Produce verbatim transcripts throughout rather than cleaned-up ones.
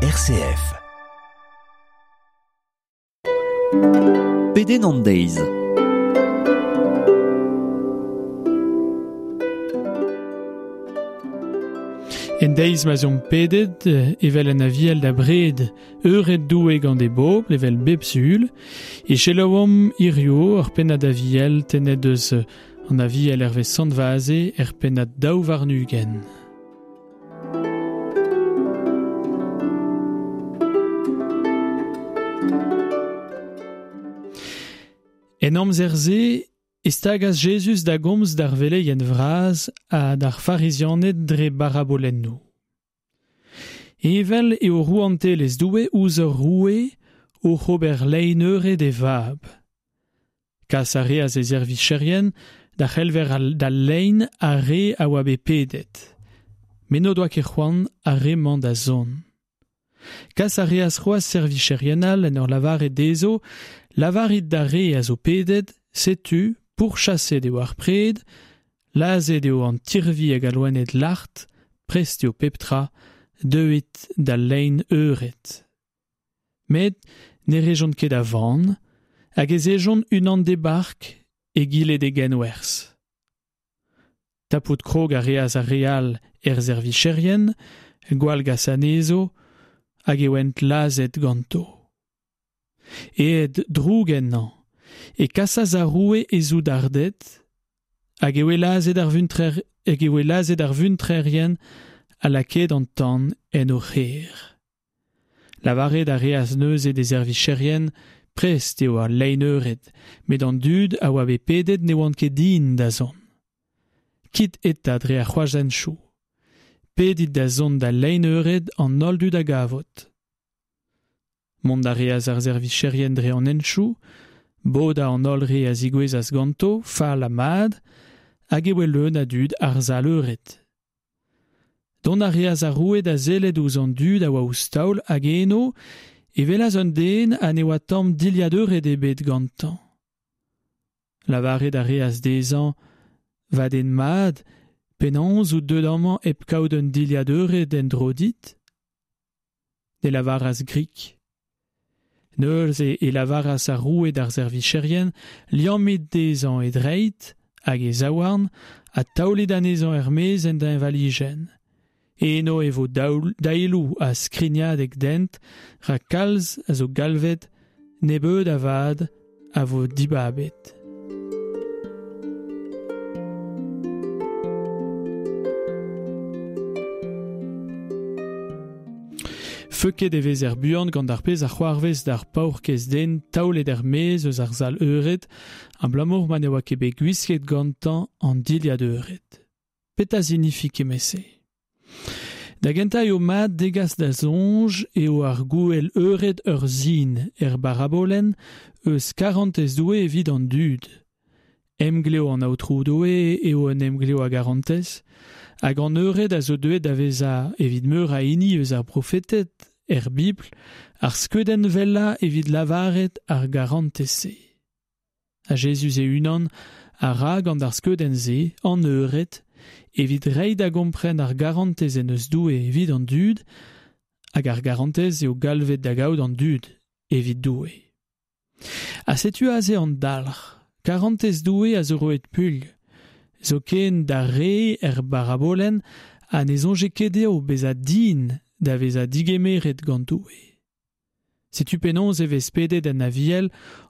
R C F. Pedenn an deiz. En deiz ma zon pedet, evel en aviel da bred, eured doue gant e bobl, evel bep sul, e selaouomp hirio ur pennad aviel tenet eus an aviel hervez Sant Vaze er pennad daou warn-ugent. En amzer-se, e stagas Jezuz da gomz d'ar veleien vras ha d'ar farizianed dre barabolennoù. Evel eo rouantelezh Doue ouzh ur roue oc'h ober lein eured e vab. Kas a reas e servicherien da c'helver da lein ar re a oa bet pedet. Met n'o doa ket c'hoant ar re-mañ da zont. Kas a reas c'hoazh servicherien all en ur lavaret dezho, lavarit d'ar re a zo pedet, setu, pourchaset eo ar pred, lazhet eo an tirvi hag al loened lart, prest eo pep tra, deuit da lein eured. Met ne rejont ket a van, hag ez ejont unan d'e bark egile d'e genwerzh. Tapout krog a reas ar re all er servicherien, gwall gas anezho, hag e oent lazhet ganto. Aet droug ennañ, e kasas ar roue e zoudarded, hag e oe lazhet ar vuntrer, hag e oe lazhet ar vuntrerien ha lakaet an tan en o c'hêr. Lavaret a reas neuze d'e servicherien, prest eo ar lein eured, met an dud a oa bet pedet ne oant ket din da zont. Kit eta dre ar c'hroazhentchoù. Pedit da zont da lein eured an holl dud a gavot. Mont a reas ar servicherien dre an hentchoù, boda an holl re a zigouezas ganto, fall ha mat, hag e oe leun a dud ar sal eured. Dont a reas ar roue da sellet ouzh an dud a oa ouzh taol hag eno e welas un den ha ne oa tamm dilhad eured ebet gantañ. Lavaret a reas dezhañ, va den mat, penaos out deuet amañ hep kaout un dilhad eured en-dro dit ? Ne lavaras grik. Neuze e lavaras ar roue d'ar servicherien, liammit dezhañ e dreid hag e zaouarn ha taolit anezhañ er-maez en deñvalijenn. Eno e vo daoul, daeloù ha skrignadeg dent, rak kalz a zo galvet, nebeud avat a vo dibabet. Feuket e vez er buan gant ar pezh a c'hoarvez d'ar paourkaezh den taolet er-maez eus ar sal eured, abalamour ma ne oa ket bet gwisket gantañ an dilhad eured. Petra signifi kement-se ? Da gentañ eo mat degas da soñj eo ar gouel eured ur sin er barabolenn eus karantez Doue evit an dud. Emglev an Aotrou Doue eo un emglev a garantez, hag an eured a zo deuet da vezañ evit meur a hini eus ar profeted er Bibl, ar skeudenn wellañ evit lavaret ar garantez-se. Ha Jezuz e-unan a ra gant ar skeudenn-se an eured evit reiñ da gompren ar garantez en eus Doue evit an dud, hag ar garantez eo galvet da gaout an dud evit Doue. Ha setu aze an dalc'h, karantez Doue a zo roet puilh, zoken d'ar re er barabolenn ha ne soñje ket dezho bezañ din da vezañ digemeret gant Doue. Setu penaos e vez pedet en aviel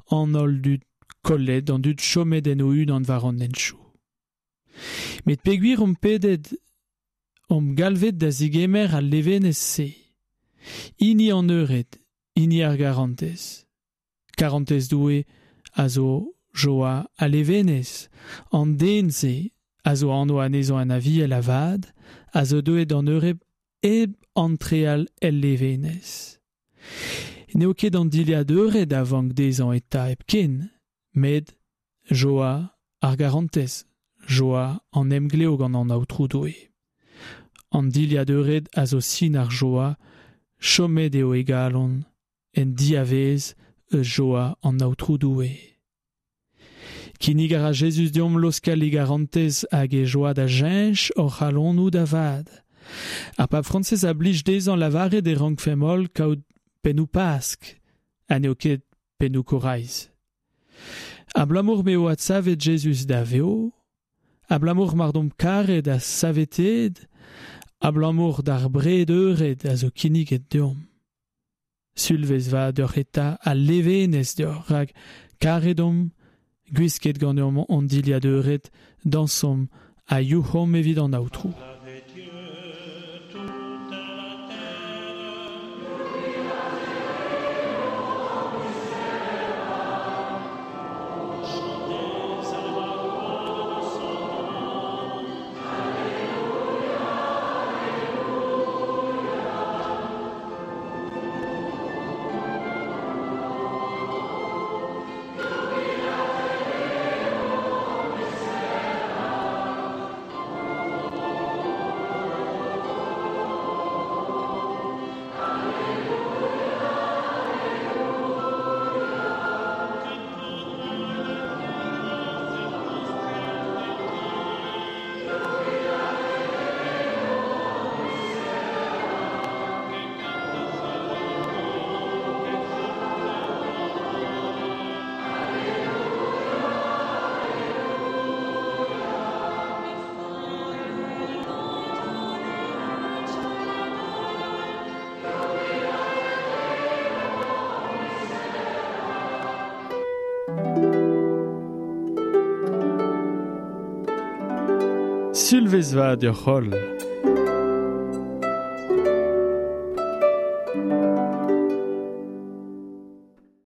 an holl dud kollet, an dud chomet en o-unan war an hentchoù. Met peogwir omp pedet, omp galvet da zigemer al levenez-se. Hini an eured, hini ar garantez. Karantez Doue a zo joa ha levenez. An den-se a zo anv anezhañ an aviel avat, a zo deuet d'an eured hep antreal el levenez. N'eo ket an dilhad eured a vank dezhañ eta hepken, met joa ar garantez, joa an emglev gant an Aotrou Doue. An dilhad eured a zo sin ar joa, chomet eo e galon, en diavez eus joa an Aotrou Doue. Kinnig a ra Jezuz deomp laoskel e garantez hag e joa da cheñch hor c'halonoù da vat. Ar pab Frañsez a blij dezhañ lavaret e rankfemp holl kaout pennoù Pask, ha n'eo ket pennoù Koraiz. Abalamour m'eo adsavet Jezuz da vev, abalamour mar domp karet ha saveteet, abalamour d'ar bred eured a zo kinniget deomp. Sulvezh vat deoc'h eta ha levenez deoc'h, rak karet omp, gwisket ganeomp hon dilhad eured, dañsomp ha youc'homp evit an Aotrou. Sulvezh vat deoc'h holl.